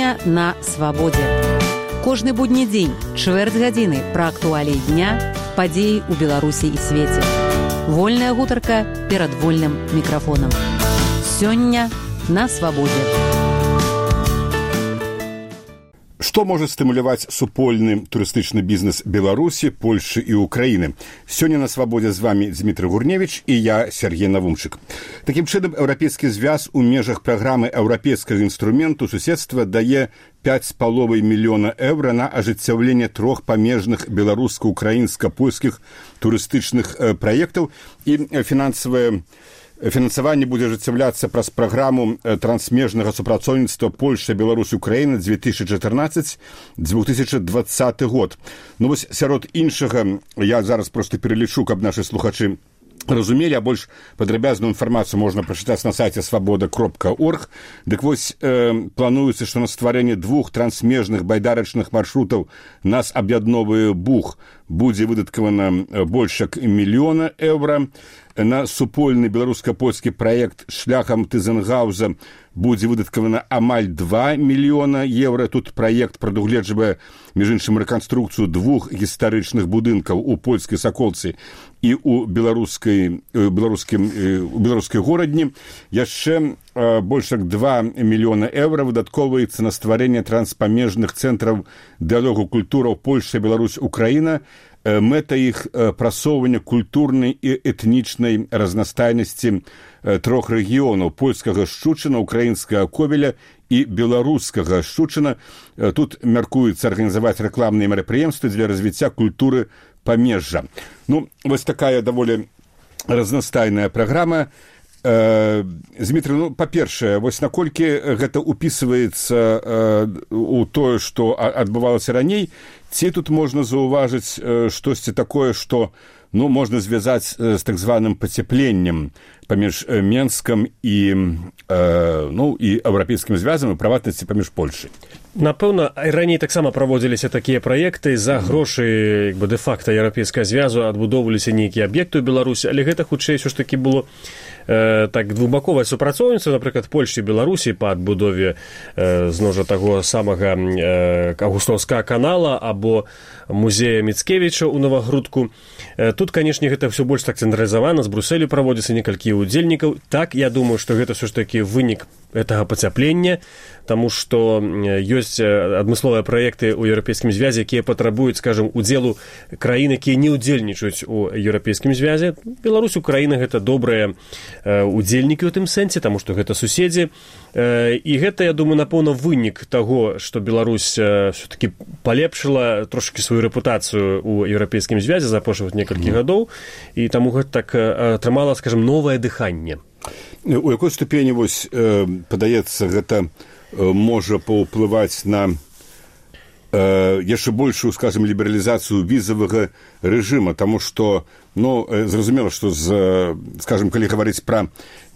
Сёння на свабодзе. Кожны будні дзень, чвэрць гадзіны пра актуаліі дня, падзеі ў Беларусі і свеце. Вольная гутарка перад вольным мікрафонам. Сёння на свабодзе. Што можа стымуляваць супольны турыстычны бізнес Беларусі, Польшы і Украіны? Сёння на свабодзе з вамі Дмітрый Гурневіч і я, Сергей Навумчык. Такім чынам, Еўрапейскі звяз у межах праграмы еўрапейскага інструменту суседства дае 5,5 мільёна еўра на ажыццяўленне 3 памежных беларуска-украінска-польскіх турыстычных праектаў і фінансаванне будзе ажыццяўляцца праз праграму трансмежнага супрацоўніцтва Польша, Беларусь, Украіна 2014-2020 год. Ну вось сярод іншага, я зараз проста пералічу, каб нашы слухачы разумелі, а больш падрабязную інфармацыю можна прачытаць на сайце свабода.орг. Дык вось плануецца, што на стварэнне 2 трансмежных байдарачных маршрутаў нас аб'ядновае Буг будзе выдаткавана больш як 1 мільёна еўра. На супольны беларуска-польскі праект шляхам Тызенгауза будзе выдаткавана амаль 2 мільёна еўра. Тут праект прадугледжвае, між іншым, рэканструкцыю 2 гістарычных будынкаў у польскай Саколцы і у беларускай горадні. Яшчэ больш як 2 мільёна еўра выдаткоўваецца на стварэнне транспамежных цэнтраў дыялогу культураў Польша, Беларусь, Украіна. Мэта іх прасоўвання культурнай і этнічнай разнастайнасці 3 рэгіёнаў: польскага Шчучына, украінскага Ковеля і беларускага Шчучына. Тут мяркуецца арганізаваць рэкламныя мерапрыемствы для развіцця культуры памежжа. Ну, вось такая даволі разнастайная праграма. Дмітрый, ну, па-першае, вось наколькі гэта упісваецца у тое, што адбывалася раней, ці тут можна заўважыць штосьці такое, што, ну, можна звязаць з так званым пацяпленнем паміж Менскам і еўрапейскім звязам, і прыватнасці паміж Польшай? Напэўна, раней таксама праводзіліся такія праекты за грошы дэ-факта еўрапейскага звязу, адбудоўваліся нейкія аб'екты ў Беларусі, але гэта хутчэй ўсё ж такі было так двухбаковае супрацоўніцтва, напрыклад, Польші і Беларусі па адбудове зноў жа таго самага Аўгустоўскага канала або музея Міцкевіча ў Новагрудку. Тут, канешне, гэта ўсё больш так цэнтралізавана, з Брусэлю праводзіцца некалькі удзельнікаў. Так, я думаю, што гэта ўсё ж такі вынік гэтага пацяплення, таму што ёсць адмысловыя праекты ў еўрапейскім звязе, якія патрабуюць, скажам, удзелу краін, якія не ўдзельнічаюць у еўрапейскім звязе. Беларусь, Украіна — гэта добрыя удзельнікі ў тым сэнсе, таму што гэта суседзі. І гэта, я думаю, напэўна, вынік таго, што Беларусь все-таки палепшыла трошкі сваю рэпутацыю ў еўрапейскім звязе за апошніх некалькі гадоў, і таму гэта так атрымала, скажам, новае дыханне. У якой ступені, вось, падаецца, гэта можа паўплываць на яшчэ большую, скажем, лібералізацыю візавага рэжыма, таму што, ну, зразумела, што, скажем, калі гаварыць пра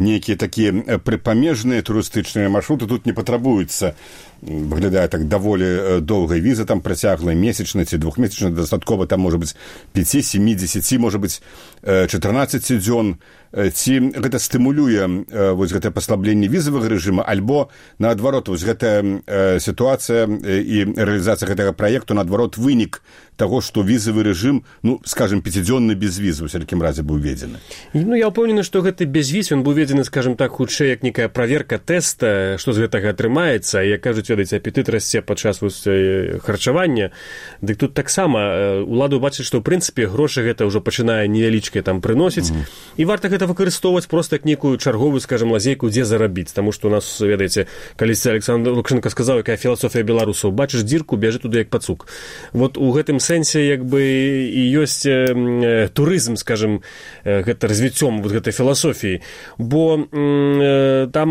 нейкія такія прыпамежныя турыстычныя маршруты, тут не патрабуецца, выглядае так, даволі доўгай віза, там працяглая месячная ці двухмесячная, дастаткова там можа быць 5, 7, 10, можа быць 14 дзён. Ці гэта стымулюе вось гэтае паслабленне візавага рэжыма, альбо наадварот, вось гэтая сітуацыя і рэалізацыя гэтага праекту наадварот вынік таго, што візавы рэжым, ну, скажем, 5-дзённы без візы ў сялякім разе быў введзены? Ну, я ўпэўнены, што гэты безвіз, ён быў введзены, скажем так, хутчэй як некая праверка тэста, што з гэтага атрымаецца. Як кажуць, ведаеце, апетыт расце падчас харчавання. Дык тут таксама улада бачыць, што ў прынцыпе грошы гэта ўжо пачынае невялічкае там прыносіць, і варта гэта выкарыстоўваць проста як некую чарговую, скажем, лазейку, дзе зарабіць. Таму што у нас, ведаеце, калісьці Александр Лукашенко сказаў, якая філасофія беларусаў: бачыш дзірку, бяжы туды як пацук. Вот у гэтым сэнсе як бы і ёсць турызм, скажем, гэта развіццём вот гэтай філасофіі. Бо там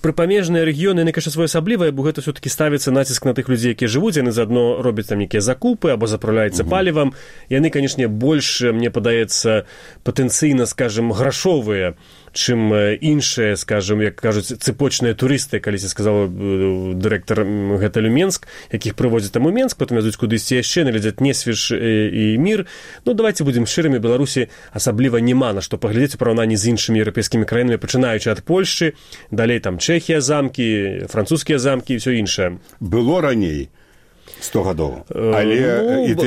прыпамежныя рэгіёны, яны, конечно, своеасаблівыя, бо гэта все-таки ставіцца націск на тых людзей, якія жывуць, яны заадно робяць там нейкія закупы або запраўляюцца палівам. Яны, конечно, больш, мне падаецца, патэнцыйна, скажем, грашовыя, чым іншыя, скажем, як кажуць, цыпочныя турысты, калісьці сказаў дырэктар гатэлю Менск, якіх прыводзяць там у Менск, потым вязуць кудысьці яшчэ, наглядзяць Несвіж і Мір. Ну, давайте будзем шчырымі, Беларусі асабліва няма на што паглядзець у параўнанні з іншымі еўрапейскімі краінамі, пачынаючы ад Польшчы, далей там Чэхія замкі, французскія замкі і ўсё іншае. Было раней 100 гадоў. Але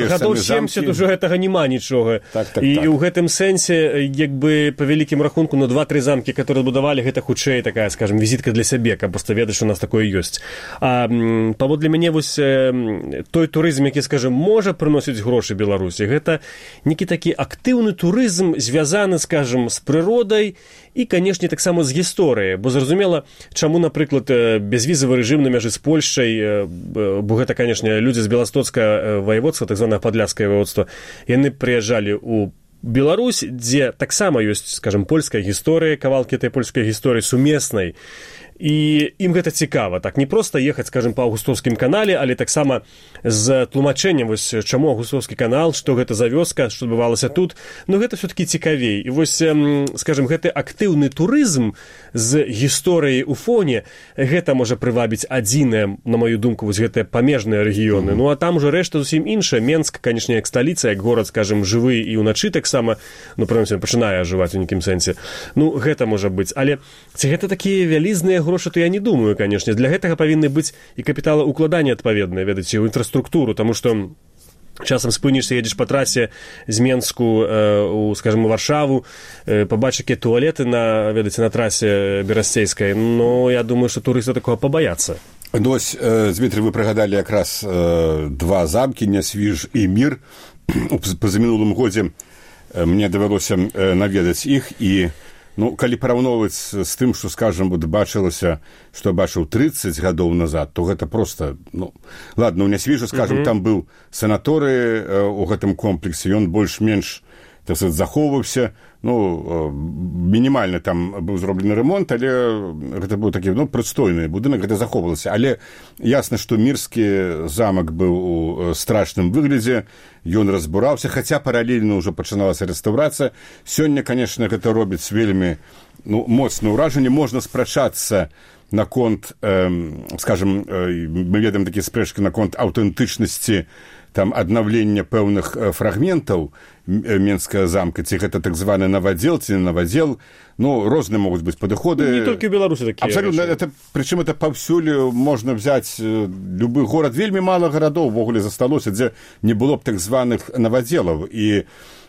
гадоў 70 ўжо гэтага няма нічога. І ў гэтым сэнсе, як бы, па вялікім рахунку, 2-3 замкі, которые будавалі, гэта хутчэй такая, скажем, візітка для сябе, каб проста ведаць, што у нас такое ёсць. А паводле мяне, вось, той турызм, які, скажем, можа прыносіць грошы Беларусі, гэта некі такі актыўны турызм, звязаны, скажем, з прыродай і, канешне, таксама з гісторыяй. Бо зразумела, чаму, напрыклад, бязвізавы рэжым на мяжы з Польшчай, бо гэта, канешне, людзі з беластоцкага воеводства, так званае падляшскае воеводства, яны прыязджалі ў Беларусь, дзе таксама ёсць, скажем, польская гісторыя, кавалкі этой польскай гісторыі сумеснай. І ім гэта цікава, так, не проста ехаць, скажем, па Аўгустоўскім канале, але таксама з тлумачэннем, вось, чаму Аўгустоўскі канал, што гэта за вёска, што адбывалася тут, ну, гэта все-таки цікавей. І вось, скажем, гэты актыўны турызм з гісторыяй у фоне, гэта можа прывабіць адзінае, на маю думку, вось гэтыя памежныя рэгіёны. Ну, а там ужо рэшта зусім іншая. Менск, канешне, як сталіца, як горад, скажем, жывы і ўначы таксама, ну, прынамсі, пачынае ажываць у нейкім сэнсе. Ну, гэта можа быць. Але ці гэта такія вялізныя грошы, то я не думаю, канешне. Для гэтага павінны быць і капіталаўкладанні адпаведныя, ведаеце, ў інфраструктуру, таму што часам спынішся, едзеш па трасе з Менску у, скажем, у Варшаву, пабачыш, якія туалеты на, ведаеце, на трасе берасцейскай. Ну, я думаю, што турысты такога пабаяцца. Ну, ось, Дмитрий, вы прыгадалі якраз два замкі, Несвіж і Мір. Пазамінулым годзе мне давялося наведаць іх, і ну, калі параўноўваць з тым, што, скажам, бачылася, што бачыў 30 гадоў назад, то гэта проста, ну, ладно, у Несвіжу, скажам, там быў санаторый у гэтым комплексе, ён больш-менш, так сказать, захоўваўся, ну, мінімальна там быў зроблены ремонт, але гэта быў такі, ну, прыстойны будынак, гэта захоўвалася. Але ясна, што Мірскі замак быў у страшным выглядзе, ён разбураўся, хаця паралельна ўжо пачыналася рэстаўрацыя. Сёння, канешне, гэта робіць вельмі, ну, моцнае ўражанне. Можна спрачацца наконт, скажем, мы ведаем такія спрэчкі наконт аўтэнтычнасці там аднаўлення пэўных фрагментаў Менскага замка, ці гэта так званы навадзел, ці не навадзел, ну, розныя могуць быць падыходы. Не толькі ў Беларусі такія. Абсалютна, прычым это паўсюль можна взяць любы горад. Вельмі мала гарадоў увогуле засталося, дзе не было б так званых навадзелаў. І,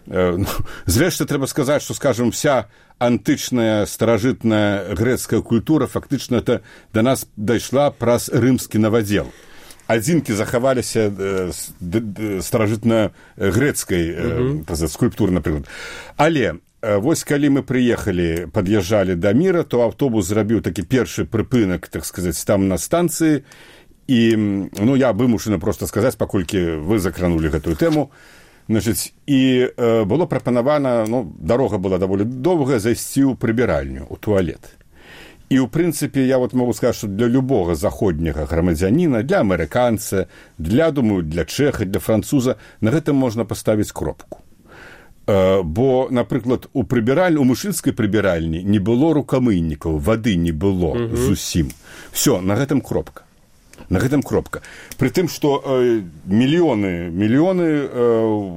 ну, зрэшты, трэба сказаць, што, скажем, вся антычная старажытная грэцкая культура фактычна это да нас дайшла праз рымскі навадзел. Адзінкі захаваліся старажытна-грэцкай скульптуры, напрыклад. Але вось калі мы прыехалі, пад'язджалі да Міра, то аўтобус зрабіў такі першы прыпынак, так сказаць, там на станцыі. І, ну, я вымушаны проста сказаць, паколькі вы закранулі гэтую тэму. Значыць, і было прапанавана, ну, дарога была даволі доўгая, зайсці ў прыбіральню, у туалет. І, ў прынцыпе, я вот могу сказаць, што для любога заходняга грамадзяніна, для амерыканца, думаю, для чэха, для француза, на гэтым можна паставіць кропку. Бо, напрыклад, у мужчынскай прыбіральні не было рукамыйнікаў, вады не было зусім. Всё, на гэтым кропка. На гэтым кропка. Пры тым, што мільёны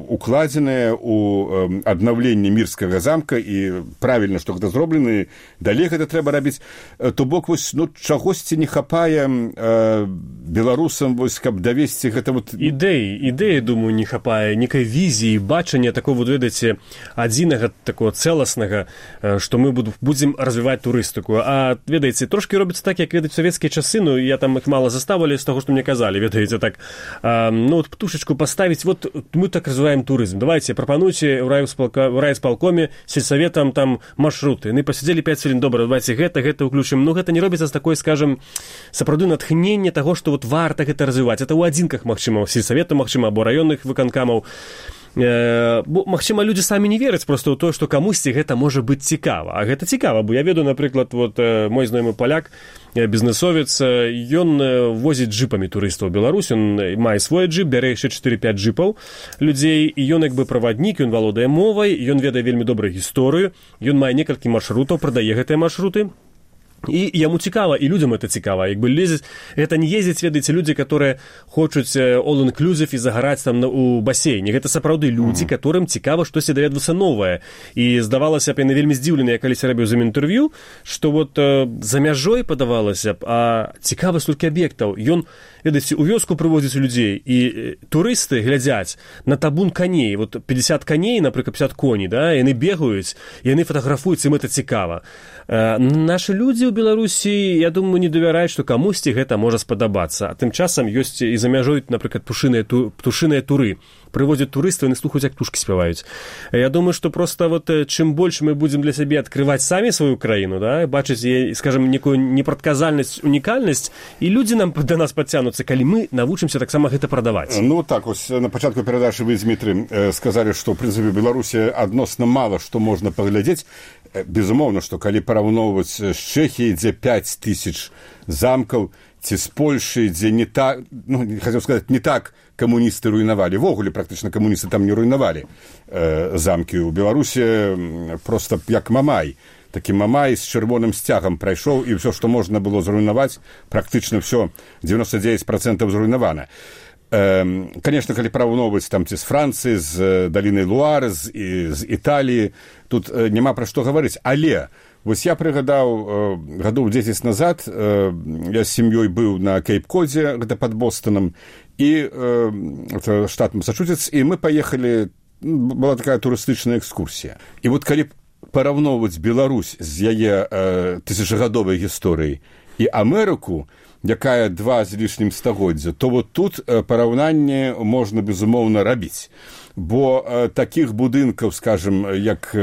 укладзеныя ў аднаўленне Мірскага замка, і правільна, што гэта зроблена, далей гэта трэба рабіць. То бок, вось, ну, чагосьці не хапае беларусам, вось, каб давесці гэта вот... Ідэі, думаю, не хапае, некай візіі, бачання такого, вот, ведаеце, адзінага, такого цэласнага, што мы будзем развіваць турыстыку. А, ведаеце, трошкі робіцца так, як, ведаць, савецкія часы, ну, я там іх мала заставалі з таго, што мне казалі, ведаеце, так, ну, вот, птушечку паставіць, вот, мы так развіваем турызм. Давайте, прапануйце ў райисполкоме, сельсаветам, там, маршруты. Яны пасядзелі 5 хвілін, добра, давайте гэта ўключым. Ну, гэта не робіцца з такой, скажем, сапраўды натхнення таго, што вот варта гэта развіваць. Это ў адзінках, магчыма, сельсавета, магчыма, або раённых выканкамаў. магчыма, людзі самі не вераць проста ў тое, што камусьці гэта можа быць цікава. А гэта цікава, бо я ведаю, напрыклад, мой знаёмы паляк, бізнесовец, ён возіць джипамі турыстаў у Беларусь, ён мае свой джип, бярэ яшчэ 4-5 джипаў людзей, і ён як бы праваднік, ён валодае мовай, ён ведае вельмі добрую гісторыю, ён мае некалькі маршрутаў, прадае гэтыя маршруты. І яму цікава, і людзям это цікава. Як бы лезець, гэта не ездзяць, ведаеце, людзі, которые хочуць all-inclusive і загараць там у басейне. Гэта сапраўды людзі, которым цікава штосьці даведвацца новае. І здавалася б, яны вельмі здзіўленыя, калі рабіў з ім інтэрв'ю, што за мяжой падавалася б, а цікавы столькі аб'ектаў. Ён, ведаеце, у вёску прывозіць людзей, і турысты глядзяць на табун коней. 50 коней, напрыклад, 50 коней, да, яны бегаюць, яны фатаграфуюць, ім это цікава. Нашы людзі ў Беларусі, я думаю, не давяраюць, што камусьці гэта можа спадабацца. А тым часам ёсць і за мяжой, напрыклад, птушыныя туры. Прыводзяць турыстаў, яны слухаюць, як птушкі спяваюць. Я думаю, што проста чым больш мы будзем для сябе адкрываць самі сваю краіну, да, бачыць, скажем, некую непрадказальнасць, унікальнасць, і людзі нам да нас падцягнуцца, калі мы навучымся таксама гэта прадаваць. Ну так, на пачатку перадачы вы, Дмітрый, сказалі, што, ў прынцыпе, Беларусі адносна мала што можна паглядзець. Безумоўна, што калі параўноўваць з Чэхіяй, дзе 5000 замкаў, ці з Польшай, дзе не так, хацеў сказаць, не так камуністы руйнавалі. Вогуле, практычна камуністы там не руйнавалі замкі. У Беларусі проста як Мамай. Такі Мамай з чырвоным сцягам прайшоў, і ўсё, што можна было зруйнаваць, практычна ўсё, 99% зруйнавана. Конечно, калі параўноўваць там ці з Францыі, з далінай Луары, з Італіі, тут няма пра што гаварыць. Але вось я прыгадаў гадоў 10 назад, я з сям'ёй быў на Кейп-Кодзе, гэта пад Бостонам, і штат Масачусетс, і мы паехалі, была такая турыстычная экскурсія. І калі параўноўваць Беларусь з яе тысячагадовай гісторыяй і Амерыку, якая 2 з лішнім стагоддзя, то тут параўнанне можна, безумоўна, рабіць. Бо такіх будынкаў, скажем, як,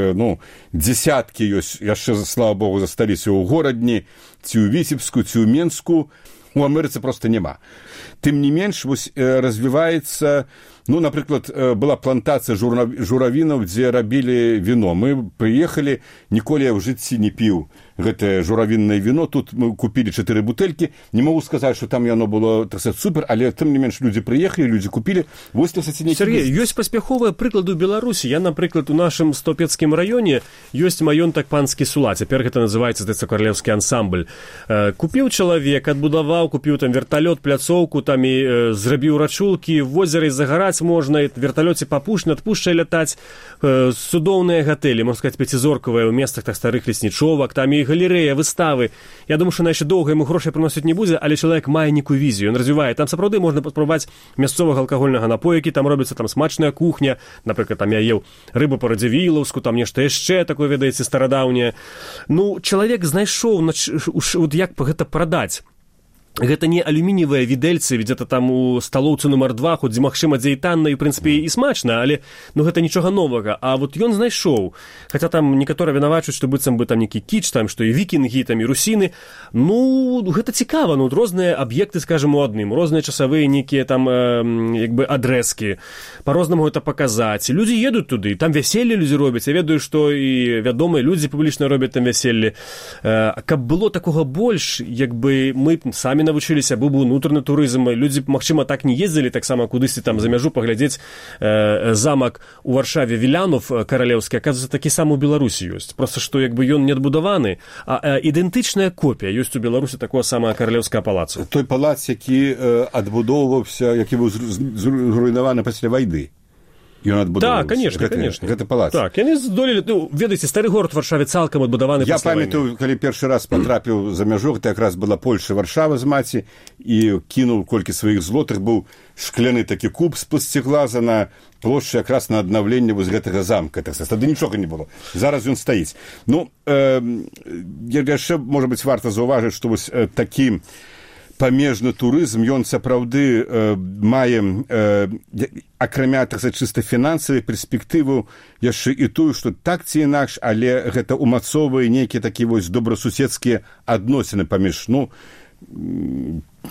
дзесяткі ёсць, яшчэ, слава Богу, засталіся ў Горадні, ці ў Віцебску, ці ў Менску, у Амерыцы проста няма. Тым не менш, развіваецца, напрыклад, была плантацыя журавінаў, дзе рабілі віно. Мы прыехалі, ніколі я ў жыцці не піў гэтае журавіннае віно. Тут мы купілі 4 бутэлькі. Не магу сказаць, што там яно было, так сказать, супер, але тым не менш людзі прыехалі, людзі купілі. Сергей, ёсць паспяховыя прыклады ў Беларусі. Я, напрыклад, у нашым Стопецкім раёне ёсць маёнтак панскі Сула. Цяпер гэта называецца, каралеўскі ансамбль. Купіў чалавек, адбудаваў, купіў там верталёт, пляцоўку, там і зрабіў рачулкі, в возеры загараць можна, і верталёце адпушчае лятаць, цудоўныя гатэлі, можна сказаць, 5-зоркавыя ў месцах так старых леснічовак, там і галерэя, выставы. Я думаю, што на яшчэ доўга яму грошай прыносіць не будзе, але чалавек мае нейкую візію, ён развівае. Там сапраўды можна паспрабаваць мясцовага алкагольнага напою, які там робіцца, там смачная кухня, напрыклад, там я еў рыбу па-радзівілаўску, там нешта яшчэ такое, ведаеце, старадаўняе. Чалавек знайшоў, як гэта прадаць. Гэта не алюмініевыя відэльцы, где-то там у сталоўцы нумар 2, хоць магчыма, дзе і танна, і, ў прынцыпе, і смачна, але гэта нічога новага. А ён знайшоў. Хаця там некаторыя вінавачуць, што быццам бы там нейкі кіч, там, што і вікінгі, там, і русіны. Гэта цікава, розныя аб'екты, скажем, у адным, розныя часавыя нейкія там, адрэзкі. Па-рознаму гэта паказаць. Людзі едуць туды, там вяселле людзі робяць. Я ведаю, што і вядомыя людзі публічна робяць там вяселле. Каб было такога больш, мы самі навучыліся, быў бы унутраны турызм, людзі, магчыма, так не ездзілі, таксама кудысьці там за мяжу паглядзець замак у Варшаве Вілянов каралеўскі, аказваецца, такі сам у Беларусі ёсць. Проста, што ён не адбудаваны, а ідэнтычная копія ёсць у Беларусі такого самого каралеўскага палацу. Той палац, які адбудоўваўся, які быў зруйнаваны пасля вайны. Так, конечно. Гэта палац. Так, яны здолелі, ведаеце, стары горад Варшаве цалкам адбудаваны пасля вайны. Я памятаю, калі першы раз патрапіў за мяжу, гэта якраз была Польша, Варшава з маці, і кінуў колькі сваіх злотых, быў шкляны такі куб з-пад сцеглаза на плошчы якраз на аднаўленне гэтага замка. Тады нічога не было. Зараз ён стаіць. Яшчэ, можа быць, варта заўважыць, што вось такі памежны турызм, ён сапраўды мае, акрамя, так сказаць, чыста фінансавай перспектыву, яшчэ і тую, што так ці інакш, але гэта умацоўвае нейкія такія вось добрасуседскія адносіны паміж,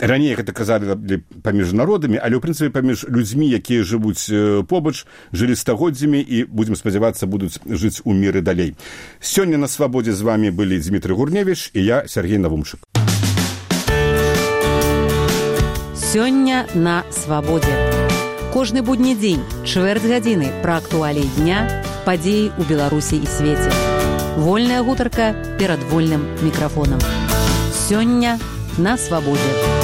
раней гэта казалі паміж народамі, але ў прынцыпе паміж людзьмі, якія жывуць побач, жылі стагоддзямі і, будзем спадзявацца, будуць жыць у міры далей. Сёння на свабодзе з вами былі Дмітрый Гурневіч і я, Сергей Навумчык. Сёння на свабодзе. Кожны будні дзень, чвэрць гадзіны пра актуаліі дня, падзеі ў Беларусі і свеце. Вольная гутарка перад вольным мікрафонам. Сёння на свабодзе.